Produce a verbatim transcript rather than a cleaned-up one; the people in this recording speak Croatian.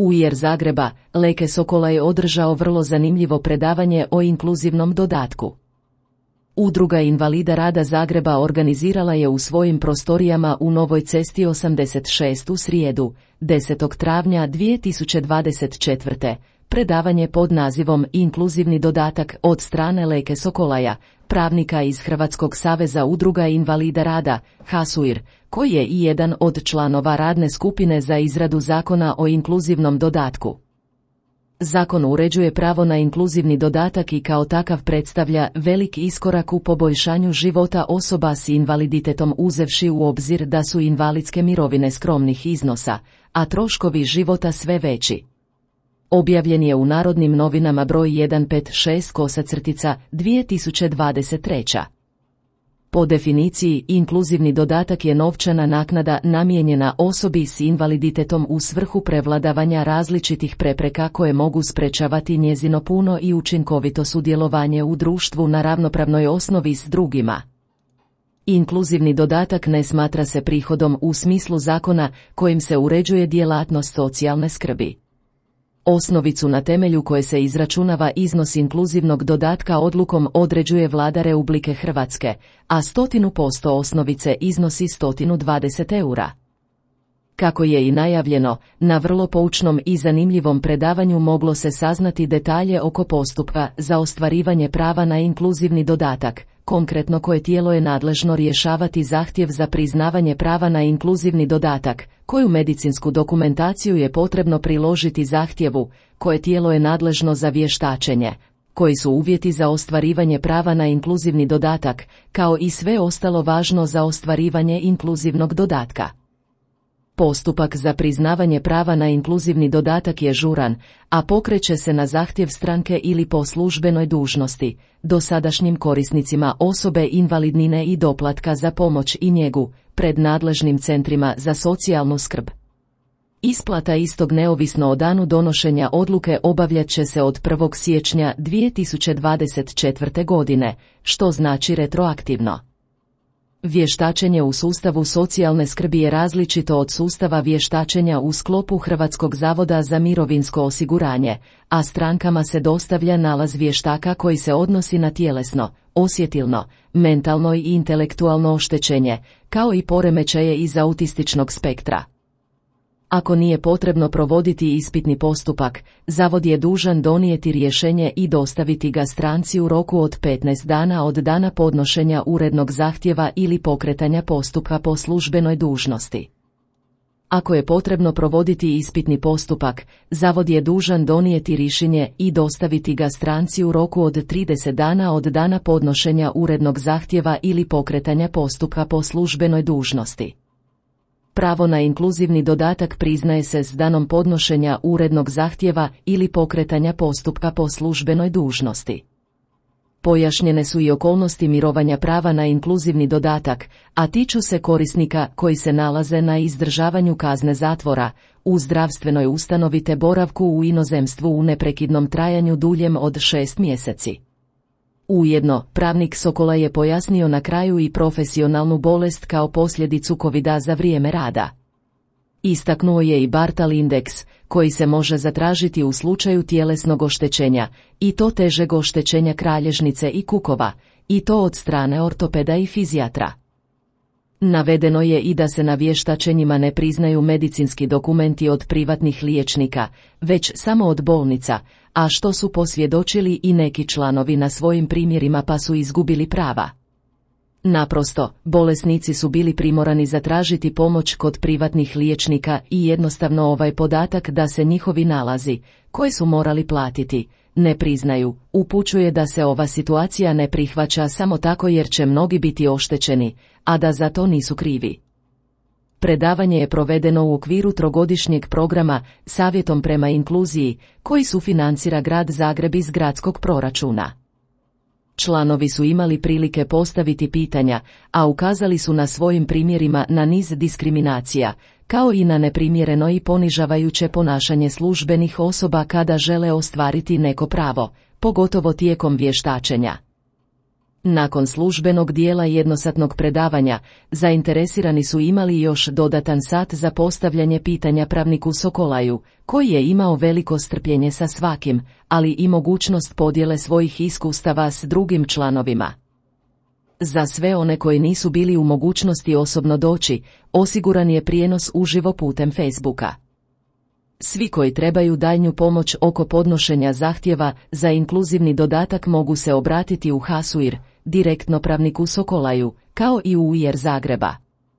U I R Zagreba, Leke Sokola je održao vrlo zanimljivo predavanje o inkluzivnom dodatku. Udruga invalida rada Zagreba organizirala je u svojim prostorijama u Novoj cesti osamdeset šest u srijedu, desetog travnja dvije tisuće dvadeset četvrte. predavanje pod nazivom Inkluzivni dodatak od strane Leke Sokolaja, pravnika iz Hrvatskog saveza udruga invalida rada, H S U I R, koji je i jedan od članova radne skupine za izradu zakona o inkluzivnom dodatku. Zakon uređuje pravo na inkluzivni dodatak i kao takav predstavlja velik iskorak u poboljšanju života osoba s invaliditetom uzevši u obzir da su invalidske mirovine skromnih iznosa, a troškovi života sve veći. Objavljen je u Narodnim novinama broj sto pedeset šest kosacrtica dvije tisuće dvadeset treća. Po definiciji, inkluzivni dodatak je novčana naknada namijenjena osobi s invaliditetom u svrhu prevladavanja različitih prepreka koje mogu sprečavati njezino puno i učinkovito sudjelovanje u društvu na ravnopravnoj osnovi s drugima. Inkluzivni dodatak ne smatra se prihodom u smislu zakona kojim se uređuje djelatnost socijalne skrbi. Osnovicu na temelju koje se izračunava iznos inkluzivnog dodatka odlukom određuje Vlada Republike Hrvatske, a stotinu posto osnovice iznosi sto dvadeset eura. Kako je i najavljeno, na vrlo poučnom i zanimljivom predavanju moglo se saznati detalje oko postupka za ostvarivanje prava na inkluzivni dodatak, konkretno koje tijelo je nadležno rješavati zahtjev za priznavanje prava na inkluzivni dodatak, koju medicinsku dokumentaciju je potrebno priložiti zahtjevu, koje tijelo je nadležno za vještačenje, koji su uvjeti za ostvarivanje prava na inkluzivni dodatak, kao i sve ostalo važno za ostvarivanje inkluzivnog dodatka. Postupak za priznavanje prava na inkluzivni dodatak je žuran, a pokreće se na zahtjev stranke ili po službenoj dužnosti, dosadašnjim korisnicima osobe invalidnine i doplatka za pomoć i njegu, pred nadležnim centrima za socijalnu skrb. Isplata istog neovisno o danu donošenja odluke obavljat će se od prvog siječnja dvije tisuće dvadeset četvrte. godine, što znači retroaktivno. Vještačenje u sustavu socijalne skrbi je različito od sustava vještačenja u sklopu Hrvatskog zavoda za mirovinsko osiguranje, a strankama se dostavlja nalaz vještaka koji se odnosi na tjelesno, osjetilno, mentalno i intelektualno oštećenje, kao i poremećaje iz autističnog spektra. Ako nije potrebno provoditi ispitni postupak, zavod je dužan donijeti rješenje i dostaviti ga stranci u roku od petnaest dana od dana podnošenja urednog zahtjeva ili pokretanja postupka po službenoj dužnosti. Ako je potrebno provoditi ispitni postupak, zavod je dužan donijeti rješenje i dostaviti ga stranci u roku od trideset dana od dana podnošenja urednog zahtjeva ili pokretanja postupka po službenoj dužnosti. Pravo na inkluzivni dodatak priznaje se s danom podnošenja urednog zahtjeva ili pokretanja postupka po službenoj dužnosti. Pojašnjene su i okolnosti mirovanja prava na inkluzivni dodatak, a tiču se korisnika koji se nalaze na izdržavanju kazne zatvora, u zdravstvenoj ustanovi te boravku u inozemstvu u neprekidnom trajanju duljem od šest mjeseci. Ujedno, pravnik Sokola je pojasnio na kraju i profesionalnu bolest kao posljedicu kovida za vrijeme rada. Istaknuo je i Barthal indeks, koji se može zatražiti u slučaju tjelesnog oštećenja, i to težeg oštećenja kralježnice i kukova, i to od strane ortopeda i fizijatra. Navedeno je i da se na vještačenjima ne priznaju medicinski dokumenti od privatnih liječnika, već samo od bolnica, a što su posvjedočili i neki članovi na svojim primjerima pa su izgubili prava. Naprosto, bolesnici su bili primorani zatražiti pomoć kod privatnih liječnika i jednostavno ovaj podatak da se njihovi nalazi, koje su morali platiti, ne priznaju, upućuje da se ova situacija ne prihvaća samo tako jer će mnogi biti oštećeni, a da za to nisu krivi. Predavanje je provedeno u okviru trogodišnjeg programa Savjetom prema inkluziji, koji sufinancira Grad Zagreb iz gradskog proračuna. Članovi su imali prilike postaviti pitanja, a ukazali su na svojim primjerima na niz diskriminacija, kao i na neprimjereno i ponižavajuće ponašanje službenih osoba kada žele ostvariti neko pravo, pogotovo tijekom vještačenja. Nakon službenog dijela jednosatnog predavanja, zainteresirani su imali još dodatan sat za postavljanje pitanja pravniku Sokolaju, koji je imao veliko strpljenje sa svakim, ali i mogućnost podjele svojih iskustava s drugim članovima. Za sve one koji nisu bili u mogućnosti osobno doći, osiguran je prijenos uživo putem Facebooka. Svi koji trebaju daljnju pomoć oko podnošenja zahtjeva za inkluzivni dodatak mogu se obratiti u Hasuir, direktno pravniku Sokolaju, kao i u U I R Zagreba.